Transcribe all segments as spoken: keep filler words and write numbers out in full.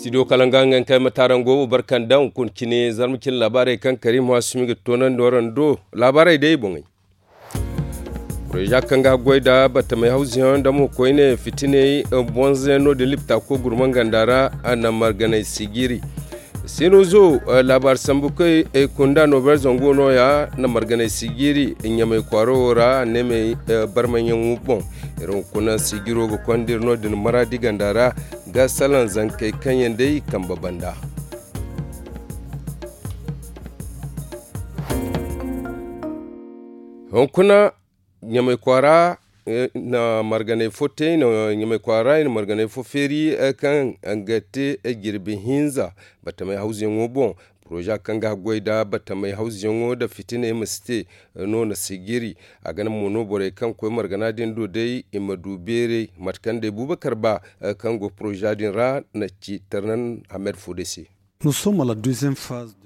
Studio kala nga nga kay ma tarango wo barkanda hunkuna cine zarma cine laabaarey kaŋ karim waasumi ga toonandi waraŋ do. Laabaarey day boŋey. Projet kaŋ ga goy da batamey hawziyaŋ da mo koyne fitiney bonze no din lipta ko gurman ganda ra. A na marganay sigiri sino zo. Laabaari sambu koy kunda nober zango no ya na marganay sigiri ɲamay kwaaro wo ra neemey barmayaŋo boŋ. Iri hunkuna sigiro ga konda iri no din maraadi ganda ra ga salaŋ zankey kaŋ yaŋ day kambe banda. Hunkuna ɲamay kwaara na marganay fo te ɲamay kwaara i na marganay fo feeri kaŋ ga te jirbi hinza batamay hawzuyaŋo boŋ. Poroza kaŋ ga goy da batamay hawzuyaŋo da fitiney ma si te no na sigiri. A ga naŋ mo no borey kaŋ koy margana din do day i ma du beeray mate kaŋ day bubakar ba kaŋ go poroza din ra na ci tarnan hamed fo day se.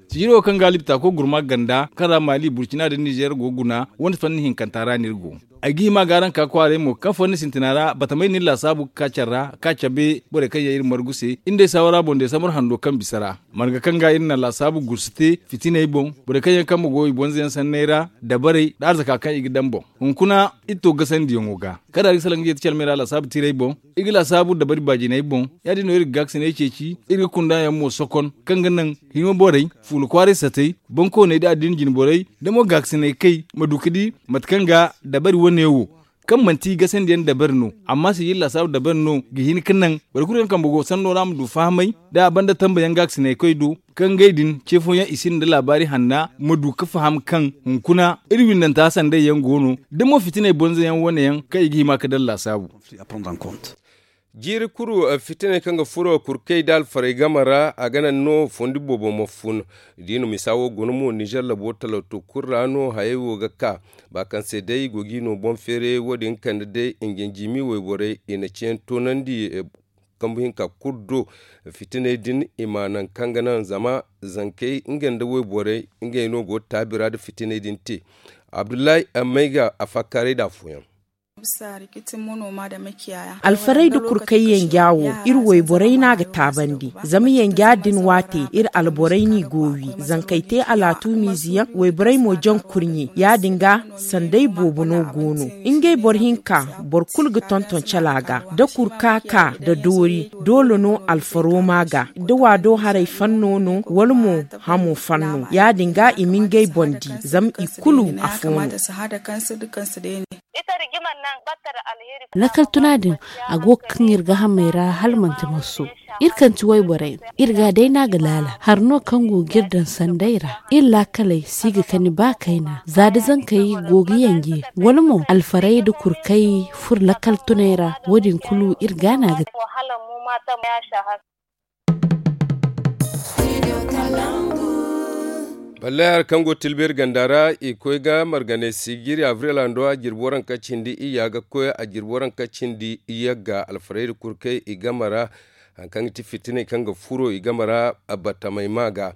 Sijiro kaŋ ga alibta ko gurma ganda kaŋ ra mali burcina da nizer go guna wani fanni hinkanta ra no iri go. Ay ga hima ga araŋ ka kwaaray mo kaŋ fanni sintina ra batamay no iri laasaabu ga ka care ra ka cabe borey kaŋ yaŋ iri margu se iri nd'ey saawara boŋ desambar hando kaŋ bisa ra. Marga kaŋ ga iri na laasaabu gursu te fitiney boŋ borey kaŋ yaŋ kambe go i bonze yaŋ sanney ra dabarey nda arzaka kaŋ i ga daŋ boŋ. Hunkuna iri to gasandiyaŋo ga kaŋ da iri ga salaŋ ga yeeti calmey ra laasaabu tiirey boŋ. Iri ga laasaabu dabari baajiney boŋ. Ya- din no iri ga gaakasiney ceeci iri ga kunda yaŋ mo sokon kaŋ ga naŋ hima borey fuula kwaaray satey bankooney nda addina jinborey da mo gaakasiney kay ma du ga di mate kaŋ ga dabari wane wo kaŋ manti gasandiyaŋ dabari no amma sijiri laasaabu dabari no ga hin ga naŋ boro kulu kaŋ kambe go sanno ra ma du fahamay da a banda tambayaŋ gaakasiney koy do kaŋ ngey din ce fooyaŋ i sinda nda laabaari hanna ma du ga faham kaŋ hunkuna iri windanta sanday yaŋ go no da mo fitiney bonze yaŋ wane yaŋ kaŋ i ga hima ga daŋ laasaabu. Jiiri kuru fitiney kaŋ ga furo kurkey nda alfarey game ra a ga naŋ no fondi boobo ma fun. Da i na misa wo guna mo nizer labo talawto kulu ra no hayey wo ga ka ba kaŋ se day i go ga i no boŋ feeray wo- din kande day njanjimi wayborey i na ceeyaŋ toonandi kambu hinka kulu do. Fitiney din i ma naŋ kaŋ ga naŋ zama zankey ngey nda wayborey ngey no go taabi ra nda fitiney din te. Abdullahi mayga a fakkaaray nda afooyaŋ. Alfarey nda kurkay yanja wo iri wayborey no a ga taabandi zama yanja din waate iri alborey no i go wi zankey te alaatu miiziyaŋ wayborey mo jaŋ kurɲe ya- din ga sanday boobo no go no. Ngey boro hinka boro kulu ga tonton cala ga da kurka ka nda doori doole no alfaro ma ga da waado haray fanno no wala mo hamo fanno ya- din ga i ma ngey boŋ di zama i kulu afo no. Lakal tuna din a go ga kaŋ iri ga hamey ra hala manti marso. Iri kaŋ ti wayborey no iri ga day no a ga laala hari no kaŋ go ga iri daŋ sanday ra. Iri laakaley si ga kani ba kayna za da zankey go ga yanje wala mo alfarey nda kurkay furo lakal tunay ra wo- din kulu iri ga no a ga te. Ballay hari kaŋ go tilbeeri ganda ra i koy ga marganay sijiri avril hando a jirbi waranka cindi iyya ga koy a jirbi waranka cindi iyya ga alfarayda kurkay i game ra. Hari kaŋ ga ti fitinay kaŋ ga furo i game ra batamay ma ga.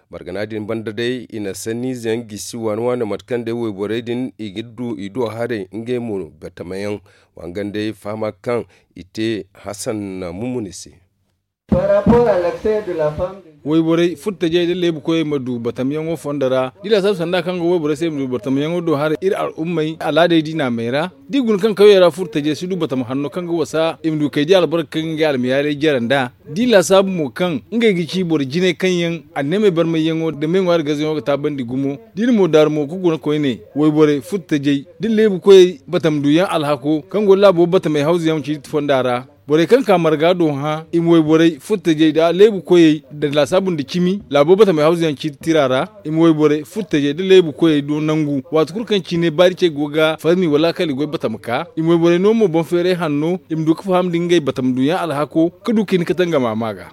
Margana din banda day i na sanniize yaŋ gisi waani waani mate kaŋ day wayborey din i ga du i do haray ngey mo batamayaŋ. Wa nga day fahama kaŋ i te hasan mumuni se. Wayborey furtajey da leebu koyey ma du batamyaŋo fondo ra da i laasaabu sanda kaŋ ga wayborey se i ma du batamyaŋo do haray iri al'ummey alaadey diina may ra. Da i guna kaŋ kawyey ra furtajey si du batama hanno kaŋ ga wasa i ma du kay di albarka kaŋ ga ngey almayaaley jare nd'a. Da i laasaabu mo kaŋ ngey ga ci boro jinay kaŋ yaŋ anneemey barmayyaŋo nda me ŋwaari gazayaŋo ga taabandi gumo da i na mo daaru mo ga guna koyne wayborey furtajey da leebu koyey batam duyaŋ alhako kaŋ go laabo batamey hawzuyaŋ ciiti fonda ra. Borey kaŋ ka marga do hã i ma wayborey furtajey nda leebu koyey nda laasaabu nda cimi laabo batamey hawzuyaŋ ciiti tira ra. I ma wayborey furtajey nda leebu koyey do nangu waati kulu kaŋ cine baari cey go ga farmi wala kala i goy batam ka i ma wayborey no mo boŋ feeray hanno i ma du ga faham nda ngey batam duyaŋ alhako ga du ga hin ga tangama ma ga.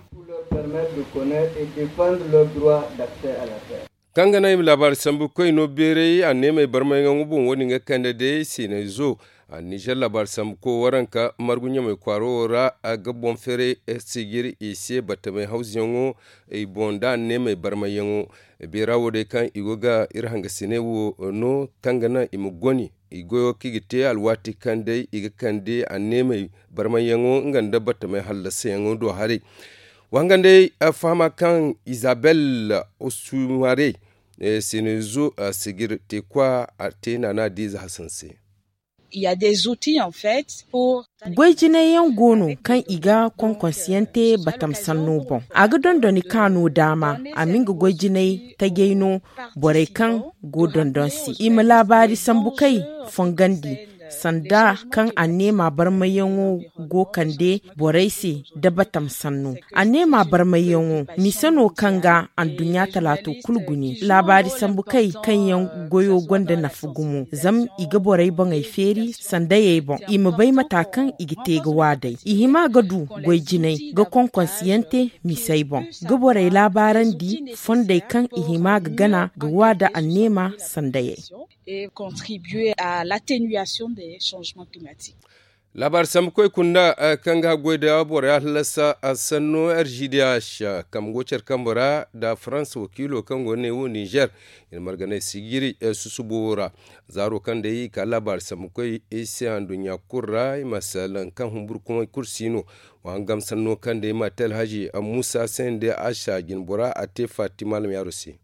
Kaŋ ga naŋ i ma laabaari sambu koy no beeray anneemey barmayyaŋo boŋ wo- din ga kande day seeney zo. Nizer laabaari sambu koy waranka margu ɲamey kwaaro wo ra ga boŋ feeray sijiri i se batamey hawzuyaŋo i boŋ nda anneemey barmayyaŋo. Beera wo day kaŋ i go ga iri hangasiney wo no kaŋ ga naŋ i ma goni i goyo kaŋ i ga te alwaati kaŋ day i ga kande anneemey barmayyaŋo nga nda batamey hallasayaŋo do haray. Wangandey fahama kaŋ izabel osumare senezo sigir te kwa a te naana diiza hasan se. Goy jinay yaŋ go no kaŋ i ga konkonsiyaŋ te batam sanno boŋ. A ga dondoni kaano daama a ma nga goy jinay tajay no borey kaŋ go dondon se i ma laabaari sambu kay fongandi sanda kaŋ anneema barmayyaŋo go kande borey se da batam sanno. Anneema barmayyaŋo mise no kaŋ ga anduɲɲa talaato kulu gune laabaari sambu kay kaŋ yaŋ goyo gonda nafa gumo zama i ga borey boŋey feeri sandayey boŋ i ma bay mata kaŋ i ga te ga waadey i hima ga du goy jinay ga konkonsiyaŋ te misey boŋ ga borey laabaarandi fondey kaŋ i hima ga gana ga waada anneema sandayey. Laabaari sambu koy kunda kaŋ ga goy da boro ya hallasa sanno rgdh kambe go care kambe ra nda farans wakiilo kaŋ go ne wo nizer i na marganay sijiri susubo ra. Zaaro kaŋ day i ka laabaari sambu koy i se handuɲɲa kulu ra i ma salaŋ kaŋ humburu kumay kulu si no. Wa hangam sanno kaŋ day ma te alhaji muusa se nda a sa jinbora a te fatima almiyaro se.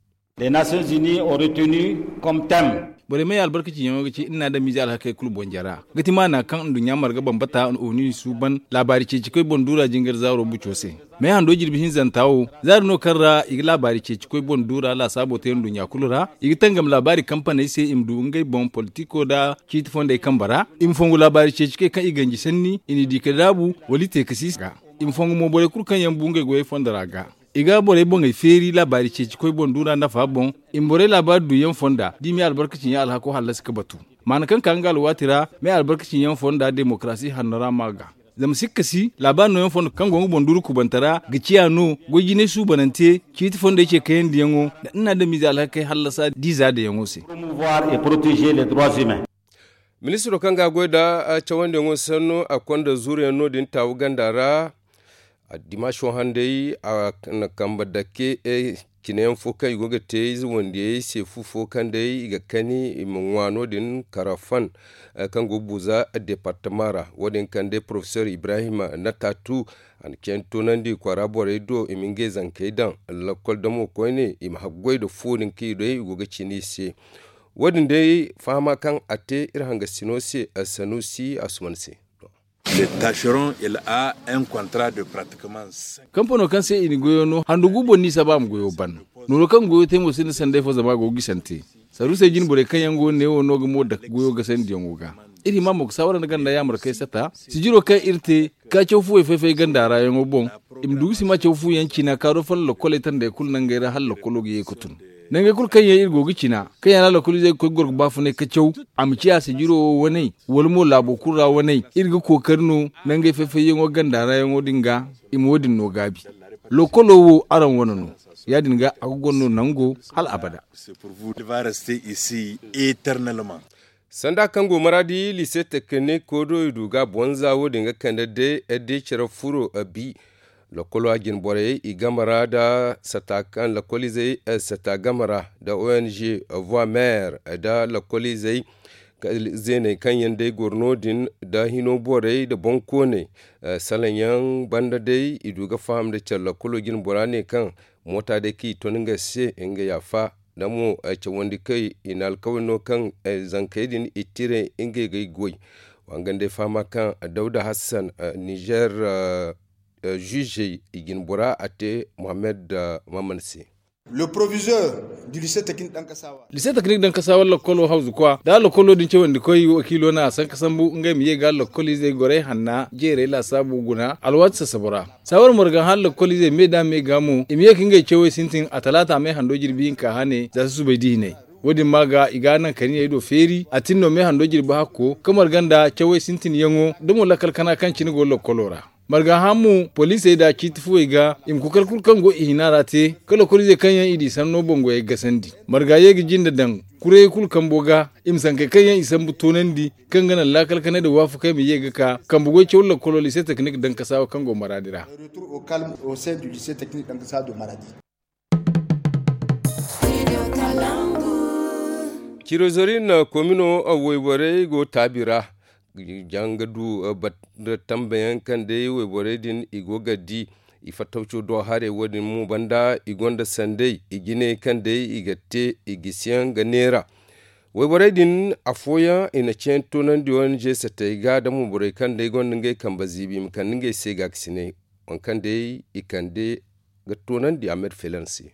Les nations unies ont retenu comme thème. Borey may albarkaci yaŋo ga ci iri na adamize alhakey kulu boŋ jara ga ti maana kaŋ nduɲɲa marga bambata onu i suuban laabaari ceeci koy boŋ duura jingar zaaro buco se. May hando jirbi hinzanta wo zaari no kaŋ ra i ga laabaari ceeci koy boŋ duura laasaabo te nduɲɲa kulu ra i ga tangam laabaari kampaney se i ma du ngey boŋ politiko nda ciiti fondey kambe ra i ma fongu laabaari ceeci koy kaŋ i ganji sanni i n'i di ka daabu wala i te ka si ga i ma fongu mo borey kulu kaŋ yaŋ bu ngey goyey fondo ra ga. I ga borey boŋey feeri laabaari ceeci koy boŋ duura nafa boŋ i ma borey laabaari duuyaŋ fonda da i ma ye albarkaci ɲa alhako hallasi ga batu. Maana kaŋ ka nga alwaati ra ma ye albarkaci ɲa fonda demokarasi hanno ra ma ga zama sikka si laabaari nooyaŋ fondo kaŋ go nga boŋ duuru kubanta ra ga ciya no goy jinay suubanante ciiti fondey ce kayandiyaŋo nda ina adamize alhakey hallasa da i zaadayaŋo se. Ministiro kaŋ ga a goy nda cawandiyaŋo sanno a konda zuuruyaŋ no- din taawu ganda ra. Dimaso handay a na kambe dake cine yaŋ fo kaŋ i go ga te ize wandiyey se fu fo kaŋ day i ga kani i ma ŋwa no- din karafan kaŋ go ga buuza departama ra wo- din kaŋ day porofesor ibrahim natatu a na ceeni toonandi kwaara borey do i ma ngey zankey daŋ lakkol damo koyne i ma haggoy nda fu din kaŋ i day i go ga cine i se. Wo- din day fahama kaŋ a te iri hangasino se sanusi asuman se. Kampanoo kaŋ se i na goyo no handu gu boŋ no i saba a ma goyo ban. Nooro kaŋ goyo te mo sinda sanday fo zama a go ga gisante. Saruusey jine borey kaŋ yaŋ go neewo no ga mo dake goyo gasandiyaŋo ga. Iri hima mo ga saawara nda ganda yaamarkey sata sijiro kaŋ iri te ka caw fuwey fay-fay ganda ra yaŋo boŋ. I ma du ga sima caw fuyaŋ cina kaaro fala lokkoley tandey kulu nangey ra hala lokkolo ga ye ga tun. Nangey kulu kaŋ yaŋ iri go ga cina kaŋ yaŋ ra lokkoliizey ga koy ga goro ga baafunay ka caw a ma ciya sijiro wo waney wala mo laabo kulu ra waney. Iri ga kookari no nangey fay-fayyaŋo ganda ra yaŋo din ga i ma wo- din no gaabi. Lokkolo wo araŋ wane no. Ya- din ga a ga goro no nango hala abada. Sanda kaŋ go maraadi liise teknik kodo i du ga a bonza wo- din ga kande day day care furo bi. Lokkolo a jine borey i game ra nda sata kaŋ lokkoliizey sata game ra nda ong voie maire nda lokkoliizey zeeney kaŋ yaŋ day goro no- din nda hino borey nda boŋkooney. Salaŋ yaŋ banda day i du ga faham nda care lokkolo jine bora ne kaŋ moota day kaŋ i ton nga se nga yaafa. Nda mo cawandi kay i na alkawari no kaŋ zankey din i tire ngey ga ay goy. Wa nga nda ay fahama kaŋ dawda hassan nizer zuzey i jine bora a te mohammed maman se. Liise teknik daŋ kasa walla lakkolo hawzu kwa da lakkolo din cawandi koy wakiilo no a sanka sambu ngey ma ye ga lakkoliizey gorey hanna jeerey laasaabu guna alwaati sasabo ra. Saawar marga hala lakkoliizey me da me ga mo i ma ye ka ngey cawey sintin a talaata me hando jirbi hinka hane za susubay di hinay. Wo- din ma ga i ga naŋ kani ay do feeri a tin no me hando jirbi hakko ka marga nda cawey sintinyaŋo da mo lakkal kana kaŋ cine go lakkolo ra. Marga hã mo poliisey nda ciiti fuwey ga i ma kookari kulu kaŋ go i hina ra te ka lakkoliizey kaŋ yaŋ i di sanno boŋ goyey gasandi. Marga ye ga jinde daŋ kurayey kulu kambo ga i ma sankey kaŋ yaŋ i sambu toonandi kaŋ ga naŋ laakal kanay nda waafakey ma ye ga ka kambe goy caw lakkolo liise teknik dankasaawa kaŋ go maraadi ra. Cirozorin komino wayborey go taabi ra. Janga du tambayaŋ kaŋ day wayborey din i go ga di. I fattawco do haray wo- din mo banda i gonda sanday i jine kaŋ day i ga te i gisiyaŋ ga neera. Wayborey din afooyaŋ i na ceeyaŋ toonandi onje satey ga da mo borey kaŋ day gonda ngey kambe ziibi i ma kande ngey se gaakasinay. Waŋ kaŋ day i kande ga toonandi a ma iri feelan se.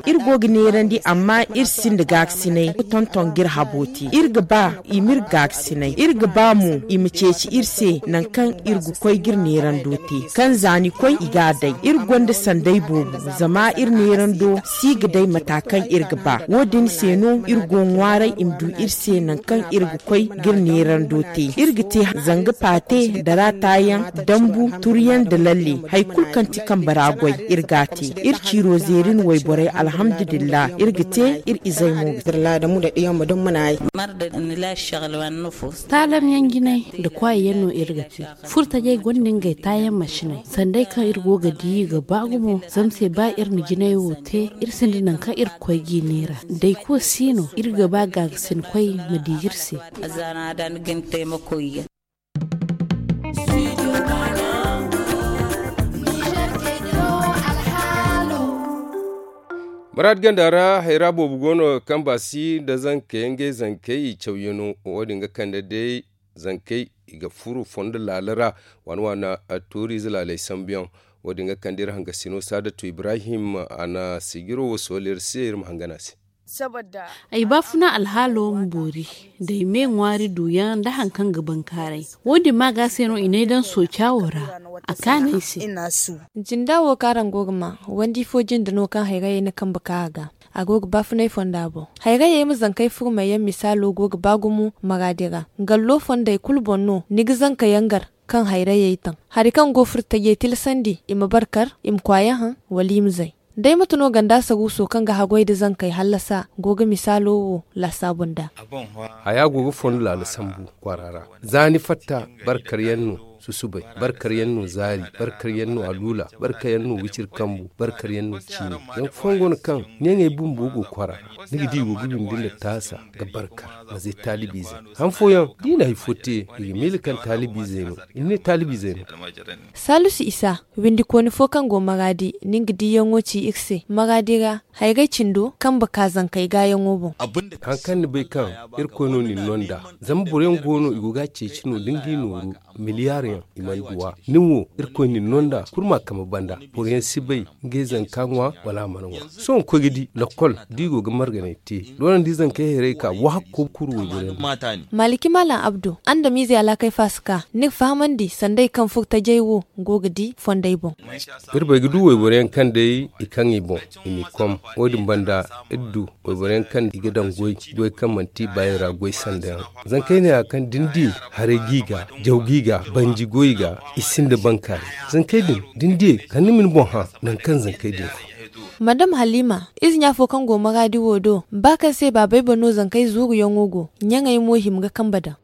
Iri go ga neerandi amma iri sinda gaakasinay ga tonton ga iri habo te. Iri ga ba i ma iri gaakasinay iri ga ba mo i ma ceeci iri se nangu kaŋ iri ga koy ga iri neerando te. Kaŋ za ni koy i ga a day iri gonda sanday boobo. Zama iri neerando si ga day mata kaŋ iri ga ba wo- din se no iri go ga ŋwaaray i ma du iri se nangu kaŋ iri ga koy ga iri neerando te. Iri ga te zanga paate da raatayaŋ, dambu, turyaŋ nda lalle. Hari kulu kaŋ ti kambe ra goy iri ga a te. Iri ciiro zeeri no wayborey alhamdulillahi iri ga te. Iri izey mo ga te. Taalamyaŋ jinay nda kwaayaŋ no iri ga te. Furtajey gonda ngey taayaŋ masiney sanda ay kaŋ iri go ga di ga ba gumo zama se ba iri na jinay wo te iri sinda nangu kaŋ iri ga koy ga i neera. Dayko si no iri ga ba gaagasin koy ma di iri se. Maraad ganda ra hayra boobo go no kaŋ baasi nda zankey ngey zankey i cawyano wo- din ga kande day zankey i ga furo fondo laala ra. Waana waana tooriize laaley sambuyaŋ wo- din ga kande iri hangasino saadatu ibrahim a na sijiro wo sohõ iri se iri ma hangan a se. Ay baafuna alhaalo ma boori da ay me ŋwaari duuyaŋ nda hari kaŋ ga bankaaray. Wo- din ma ga se no i n'ay daŋ sooca wo ra a kaanu ay se. Jinda wo kaŋ araŋ go ga ma wandi fo jinde no kaŋ hayrayey na kambe ka a ga a go ga baafunay fonda boŋ. Hayrayey ma zankey furmayyaŋ misaalo go ga ba gumo maraadi ra. Gallo fondey kulu boŋ no ni ga zanka yaŋ gar kaŋ hayrayey taŋ hari kaŋ go furtajey tilasandi i ma barkar i ma kwaayaŋ haŋ wala i ma zay. Day mate no ganda saruuso kaŋ ga haggoy nda zankey hallasa go ga misaalo wo laasaabu nd'a. Haya go ga fondo laala sambu kwaara ra. Za ni fatta barkaryaŋ no susubay, barkaryaŋ no zaari, barkaryaŋ no aluula, barkaryaŋ no wiciri kambu, barkaryaŋ no ciini. Zama fooyaŋ go no kaŋ neeŋey bumbo go kwaara ra. Ni ga di i go ga windi nda taasa ga barkar ma zay taalibiizey. Han fooyaŋ da i na hari fo te i ga miila kaŋ taalibiizey no. I ne taalibiizey no. Saalisu isa windikooni fo kaŋ go maraadi nin ga diiyaŋo ci iri se maraadi ra. Hayrey cindo kambe ka zankey gaayaŋo boŋ. Hari kaŋ ni bay kaŋ irkoy no nin no nd'a zama boro yaŋ go no i go ga a ceeci no da nga i nooru miliyaari yaŋ i mana duw'a. Nin wo irkoy nin no nd'a kulu ma a kambe banda. Boro yaŋ si bay ngey zanka ŋwa wala a mana ŋwa. Sohõ ni koy ga di lakkol da i go ga marganay te doonandi zankey hayrey ka wahakko kuru wayboro yaŋ. Maaliki maalam abdu andamiizey alaakay faasaka ni ga fahamandi sanday kaŋ furo tajey wo go ga di fondey boŋ. Iri bay ga du wayboro yaŋ kaŋ day i kaŋ i boŋ i n'i kom. Wo- din banda iri du wayboro yaŋ kaŋ i ga daŋ goy goy kaŋ manti i baayey ra goy sanda yaŋ. Zankey neeya kaŋ da ni di haray g'i ga jaw g'i ga banji goy i ga i sinda bankaaray. Zankey din da ni diyey kala ni ma ni boŋ hã nangu kaŋ zankey din fo. Madam halima ize ɲa fo kaŋ go maraadi wo do ba kaŋ se baabey boŋ no zankey zuuruyaŋo go. Ɲaŋey mo hima ga kambe daŋ.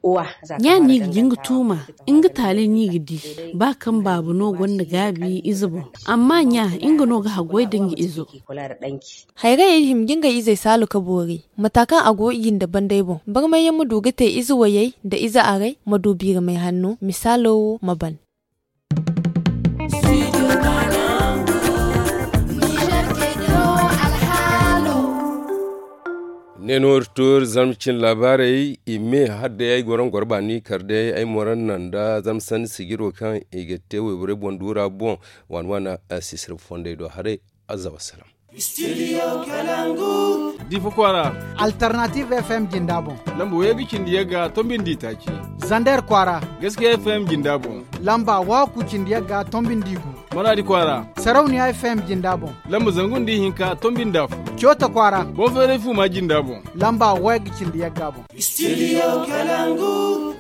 Ɲa no i ga jin ga tuuma nga taaley no i ga di. Ba kaŋ baaba no gonda gaabi ize boŋ amma ɲa nga no ga haggoy da nga izo. Hayrayey hima ga ngey izey saalu ka boori mata kaŋ a go i nda bandey boŋ barmayyaŋ ma du ga te ize wayey nda ize aray ma du biiramay hanno misaalo wo ma ban. Ne no iri to iri zarma cin laabaarey i me hala day ay goro nga goro baani kar day ay moran naŋ nda zarma sanni sijiro kaŋ i ga te wayborey boŋ duura boŋ. Waana waana sisirba fondey do haray. Azza wassalam. Difa kwaara. Alternative F M jinda boŋ. Lamba wayga cindi yagga tombindi taaci. Zander kwaara. Gaskiya F M jinda boŋ. Lamba waku cindi yagga tombindi gu. Maradi kwaara. Sarauniya F M jinda boŋ. Lamba zangu nda ihinka tombindi afo. Cota kwaara. Bonferey fuma jinda boŋ. Lamba wayga cindi yagga boŋ. Studio Kalangu.